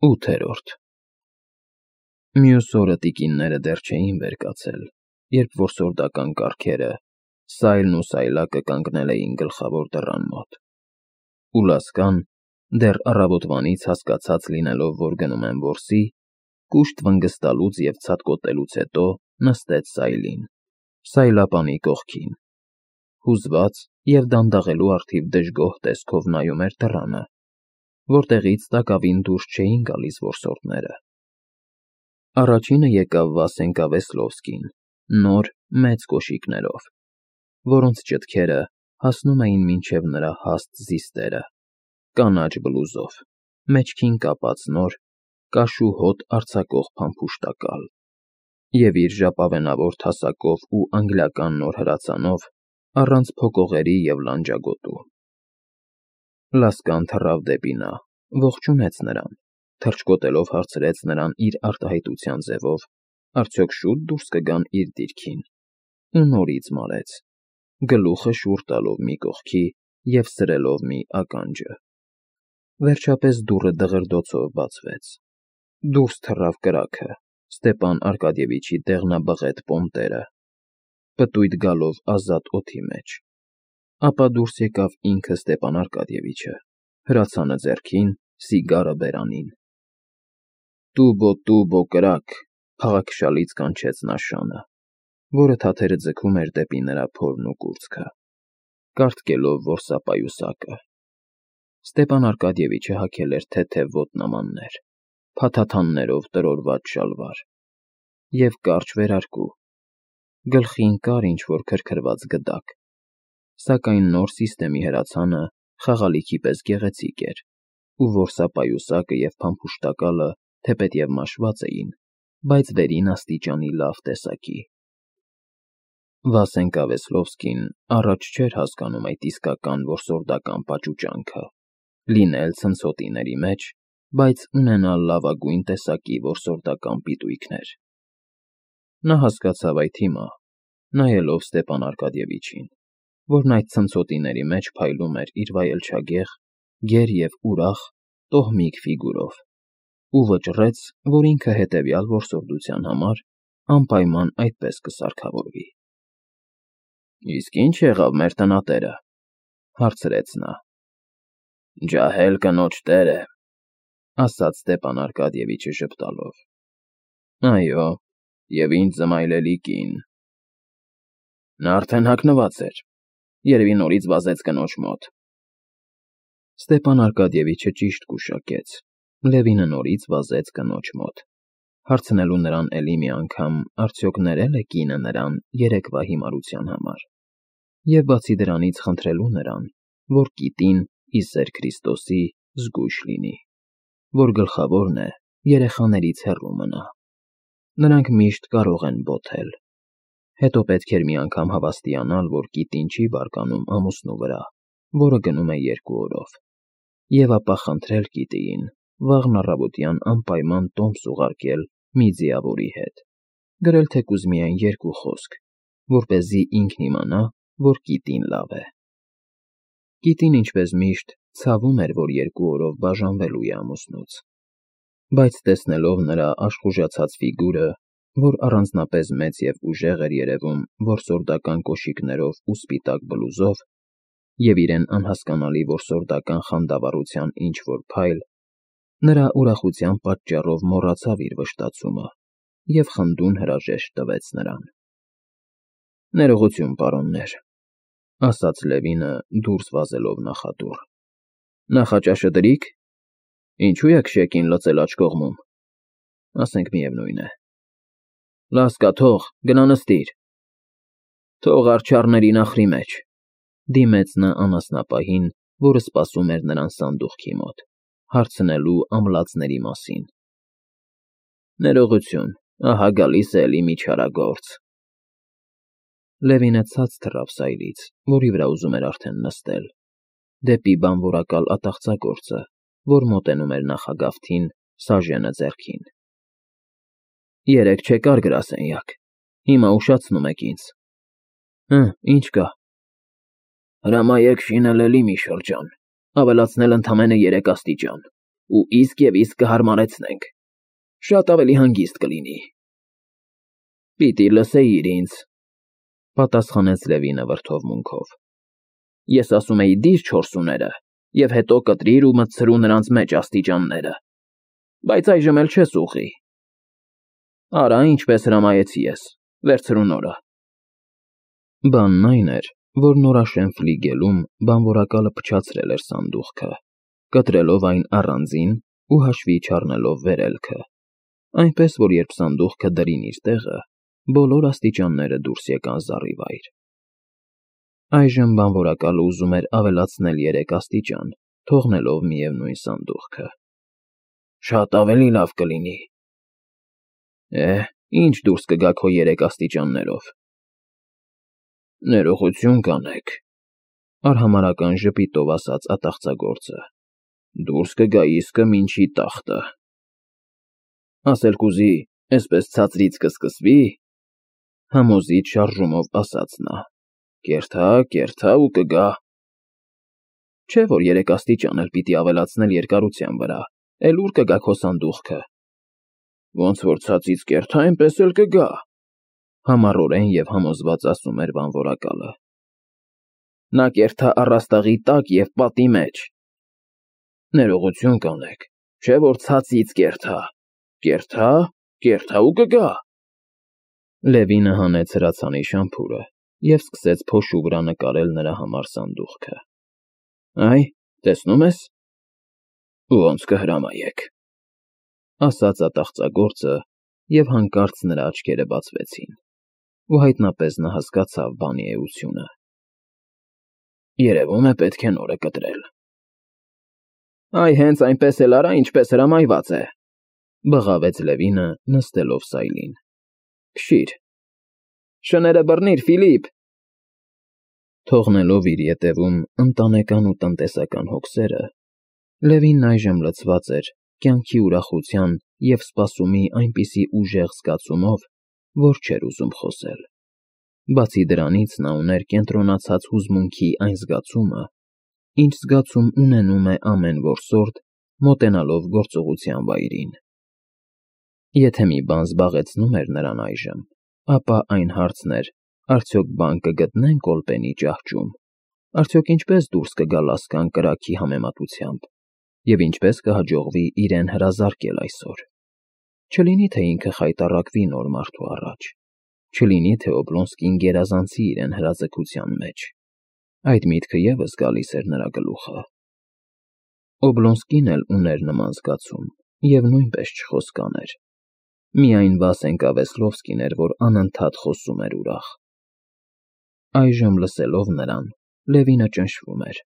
8-րդ Մյուս օրը տիկինները դեռ չէին վեր կացել, երբ որսորդական կառքերը, Սայլն ու Սայլակը կանգնել էին գլխավոր դռան մոտ, ու Լասկան, դեռ առավոտվանից հասկացած լինելով, որ գնում են որսի, կուշտ վնգստալուց և ցատկոտելուց հետո նստեց Սայլին, սայլապանի կողքին, հուզված և դանդաղելու առթիվ դժգոհ տեսքով նայում էր դռանը, որտեղից տակավին դուրս չէին գալիս որսորդները։ Առաջինը եկավ Վասենկա Վեսլովսկին, նոր, մեծ կոշիկներով, որոնց ճտքերը հասնում էին մինչև նրա հաստ զիստերը, կանաչ բլուզով, մեջքին կապած նոր, կաշու հոտ արձակող փամփուշտակալ և իր ժապավենավոր թասակով ու անգլիական նոր հրացանով, առանց փոկողերի և լանջագոտու։ Լասկան թռավ դեպի նա, ողջունեց նրան, թռչկոտելով հարցրեց նրան իր արտահայտության ձևով, արդյոք շուտ դուրս կգան իր դիրքին, ու նորից մարեց, գլուխը շուռ տալով մի կողքի և սրելով մի ականջը։ Վերջապես դուռը դղրդոցով բացվեց, դուրս թռավ կրակը, Ստեպան Արկադիևիչի դեղնաբղետ պոմպտերը, պտույտ գալով ազատ օդի մեջ, ապա դուրս եկավ ինքը Ստեպան Արկադիևիչը, հրացանը ձեռքին, սիգարը բերանին։ Տուբո կրակ, փաղաքշալից կանչեց նա շանը, որը թաթերը ձգում էր դեպի նրա փորն ու կուրծքը, կառթկելով որսապայուսակը։ Ստեպան Արկադիևիչը հագել էր թեթև ոտնամաններ, փաթաթաններով տրորված շալվար և կարճ վերարկու, գլխին կար ինչ-որ քրքրված գդակ, սակայն նոր սիստեմի հրացանը խաղալիքի պես գեղեցիկ էր, ու որսապայուսակը և փամփուշտակալը թեպետև մաշված էին, բայց վերին աստիճանի լավ տեսակի։ Վասենկա Վեսլովսկին առաջ չէր հասկանում այդ իսկական որսորդական պաճուճանքը, լինել ցնցոտիների մեջ, բայց ունենալ լավագույն տեսակի որսորդական պիտույքներ։ Նա հասկացավ այդ հիմա, նայելով Ստեպան Արկադիևիչին, որն այդ ցնցոտիների մեջ փայլում էր իր վայելչագեղ, գեր և ուրախ, տոհմիկ ֆիգուրով, ու վճռեց, որ ինքը հետևյալ որսորդության համար անպայման այդպես կսարքավորվի։ «Իսկ ի՞նչ եղավ մեր տնատերը,» հարցրեց նա։ «Ջահել կնոջ տերը,» ասաց Ստեպան Արկադիևիչը ժպտալով։ «Այո, և ինձ զմայլելի կին։ Նա արդեն հագնված էր, երևի նորից վազեց կնոջ մոտ»։ Ստեպան Արկադիևիչը ճիշտ գուշակեց, Լևինը նորից վազեց կնոջ մոտ, հարցնելու նրան էլի մի անգամ, արդյոք ներել է կինը նրան երեկվա հիմարության համար, և բացի դրանից խնդրելու նրան, որ կիտին, ի սեր Քրիստոսի, զգույշ լինի, որ գլխավորն է երեխաներից հեռու մնա։ Նրանք միշտ կարող են բոթել։ Հետո պետք էր մի անգամ հավաստիանալ, որ կիտին չի բարկանում ամուսնու վրա, որը գնում է 2 օրով, և ապա խնդրել կիտիին վաղն առավոտյան անպայման տոմս ուղարկել մի ձիավորի հետ, գրել թեկուզ միայն 2 խոսք, որպեսզի ինքն իմանա, որ կիտին լավ է։ Կիտին, ինչպես միշտ, ցավում էր, որ 2 օրով բաժանվելու է ամուսնուց, բայց տեսնելով նրա աշխուժացած ֆիգուրը, որ առանձնապես մեծ և ուժեղ էր երևում որսորդական կոշիկներով ու սպիտակ բլուզով, և իրեն անհասկանալի որսորդական խանդավառության ինչ-որ փայլ, նրա ուրախության պատճառով մոռացավ իր վշտացումը և խնդուն հրաժեշտ տվեց նրան։ «Ներողություն, պարոններ», ասաց Լևինը, դուրս վազելով նախադուռ։ «Նախաճաշը դրի՞ք։ Ինչու եք շեկին լցել աջ կողմում, ասենք միևնույն է։ Լասկա, թող, գնա նստիր։ Թող արջառների նախրի մեջ», դիմեց նա անասնապահին, որը սպասում էր նրան սանդուղքի մոտ, հարցնելու ամլացների մասին։ «Ներողություն, ահա գալիս է էլի մի չարագործ»։ Լևինը ցած թռավ Սայլից, որի վրա ուզում էր արդեն նստել, դեպի բանվորակալ ատաղծագործը, որ մոտենում էր նախագավթին, սաժենը ձեռքին։ «Երեկ չեկար գրասենյակ, հիմա ուշացնում եք ինձ»։ Ինչ կա։ «Հրամայեք շինել էլի մի շրջան, ավելացնել ընդամենը 3 աստիճան, ու իսկ եւ իսկ կհարմարեցնենք։ Շատ ավելի հանգիստ կլինի։ Պիտի լսեիր ինձ, պատասխանեց Լևինը վրդովմունքով։ Ես ասում էի դիր չորսուները, եւ հետո կտրիր ու մտցրու նրանց մեջ աստիճանները։ Բայց այժմ էլ չես ուղի։ Արա, ինչպես հրամայեցի ես, վերցրու նորը։ Բանն այն էր, որ նորաշեն ֆլիգելում բանվորակալը փչացրել էր սանդուղքը, կտրելով այն առանձին ու հաշվի չառնելով վերելքը, այնպես որ երբ սանդուղքը դրին իր տեղը, բոլոր աստիճանները դուրս եկան զառիվայր։ Այժմ բանվորակալը ուզում էր ավելացնել 3 աստիճան, թողնելով միևնույն սանդուղքը։ Շատ ավելի լավ կլինի։ Ինչ դուրս կգա քո 3 աստիճաններով։ Ներողություն կանեք, արհամարական ժպիտով ասաց ատաղծագործը։ Դուրս կգա իսկը մինչի տախտը։ Ասել կուզի, այսպես ցածրից կսկսվի, համոզիչ շարժումով ասաց նա։ Կերթա ու կգա։ Չէ որ 3 աստիճան էլ պիտի ավելացնել երկարության վրա, էլ ուր կգա քո սանդուղքը։ Ոնց որ ցածից կերթա, այնպես էլ կգա, համառորեն եւ համոզված ասում էր բանվորակալը։ Նա կերթա առաստաղի տակ եւ պատի մեջ։ Ներողություն կանեք, չէ որ ցածից կերթա։ Կերթա ու կգա։ Լևինը հանեց հրացանի շամփուրը եւ սկսեց փոշու վրա նկարել նրա համար սանդուղքը։ Այ, տեսնում ես։ Ոնց կհրամայեք, ասաց ատաղծագործը եւ հանկարծ նրա աչքերը բացվեցին, ու հայտնապես նա հասկացավ բանի էությունը։ Երևում է պետք է նորը կտրել։ Այ հենց այնպես էլ արա, ինչպես հրամայված է, բղավեց Լևինը, նստելով սայլին։ Քշիր։ Շները բռնիր, Ֆիլիպ։ Թողնելով իր ետևում ընտանեկան ու տնտեսական հոգսերը, Լևինն այժմ լցված էր կյանքի ուրախության եւ սպասումի այնպիսի ուժեղ զգացումով, որ չէր ուզում խոսել։ Բացի դրանից նա ուներ կենտրոնացած հուզմունքի այն զգացումը, ինչ զգացում ունենում է ամեն որսորդ, մոտենալով գործողության վայրին։ Եթե մի բան զբաղեցնում էր նրան այժմ, ապա այն հարցն էր, արդյոք բան կգտնեն Կոլպենի ճահճում, արդյոք ինչպես դուրս կգա լասկան կրակի համեմատությամբ, եւ ինչպես կհաջողվի իրեն հրազարկել այսօր։ Չլինի թե ինքը խայտառակվի նոր մարդու առաջ, չլինի թե Օբլոնսկին գերազանցի իրեն հրաձգության մեջ։ Այդ միտքը եւս գալիս էր նրա գլուխը։ Օբլոնսկին էլ ուներ նման զգացում եւ նույնպես չխոսկաներ։ Միայն Վասենկա Վեսլովսկին էր, որ անընդհատ խոսում էր ուրախ։ Այժմ լսելով նրան, Լևինը ճնշվում էր,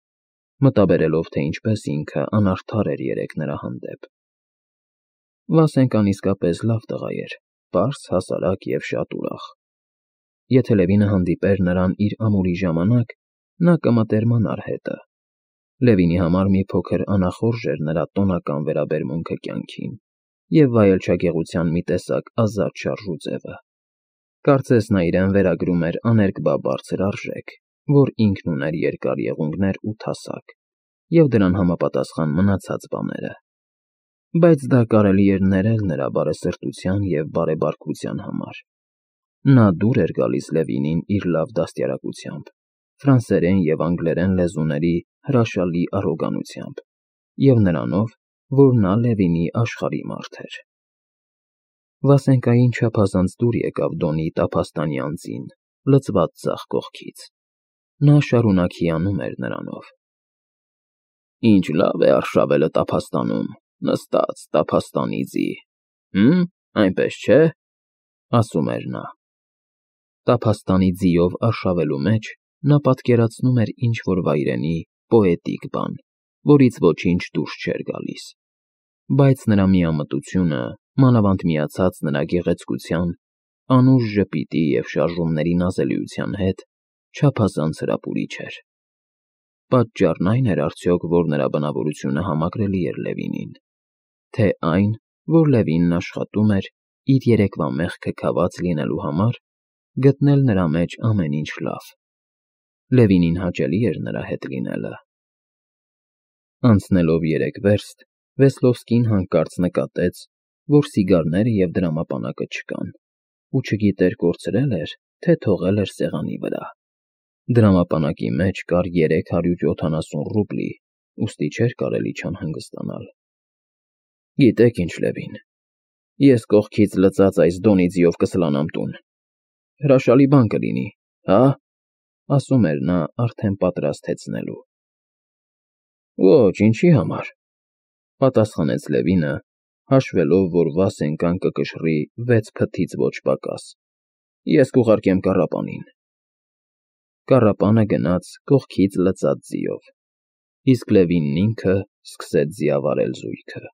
մտաբերելով, թե ինչպես ինքը անարդար էր երեք նրա հանդեպ։ Վասենկան իսկապես լավ տղա էր, պարզ, հասարակ եւ շատ ուրախ։ Եթե Լևինը հանդիպեր նրան իր ամուրի ժամանակ, նա կմտերմանար հետը։ Լևինի համար մի փոքր անախորժ էր նրա տոնական վերաբերմունքը կյանքին եւ վայելչագեղության մի տեսակ ազատ շարժուձևը։ Կարծես նա իրեն վերագրում էր աներկբա բարձր արժեք, որ ինքն ուներ երկար եղունգներ ու թասակ, եւ դրան համապատասխան մնացած բաները։ Բայց դա կարելի էր ներել նրա բարեսրտության եւ բարեբարկության համար։ Նա դուր էր գալիս Լևինին իր լավ դաստիարակությամբ, ֆրանսերեն եւ անգլերեն լեզուների հրաշալի առոգանությամբ եւ նրանով, որ նա Լևինի աշխարհի մարդ էր։ Վասենկային չափազանց դուր եկավ Դոնի տափաստանի անձին, լծված ձախ կողքից։ Նա շարունակ հիանում էր նրանով։ Ինչ լավ է արշավելը տափաստանում, նստած տափաստանի ձի։ Այնպես չէ, ասում էր նա։ Տափաստանի ձիով արշավելու մեջ նա պատկերացնում էր ինչ-որ վայրենի, պոետիկ բան, որից ոչինչ դուրս չէր գալիս։ Բայց նրա միամտությունը, մանավանդ միացած նրա գեղեցկության, անուշ ժպիտի եւ շարժումների նազելիության հետ, չափազանց հրապուրիչ էր։ Պատճառն այն էր արդյոք, որ նրա բնավորությունը համակրելի էր Լևինին, թե այն, որ Լևինն աշխատում էր իր երեկվա մեղքը քաված լինելու համար, գտնել նրա մեջ ամեն ինչ լավ։ Լևինին հաճելի էր նրա հետ լինելը։ Անցնելով 3 վերստ, Վեսլովսկին հանկարծ նկատեց, որ սիգարները և դրամապանակը չկան, ու չգիտեր կորցրել էր, թե թողել էր սեղանի վրա։ Դրամապանակի մեջ կար 370 ռուբլի, ուստի չէր կարելի չանհանգստանալ։ Գիտեք ինչ, Լևին, ես կողքից լծած այս Դոնիձիով կսլանամ տուն։ Հրաշալի բան կլինի, հա՞, ասում էր նա արդեն պատրաստ հեծնելու։ Ոչ, ինչի համար, պատասխանեց Լևինը, հաշվելով, որ Վասենկան կկշռի 6 փթթից ոչ պակաս։ Ես կուղարկեմ կառապանին։ Կառապանը գնաց կողքից լծած ձիով, իսկ Լևինն ինքը սկսեց ձիավարել զույգը։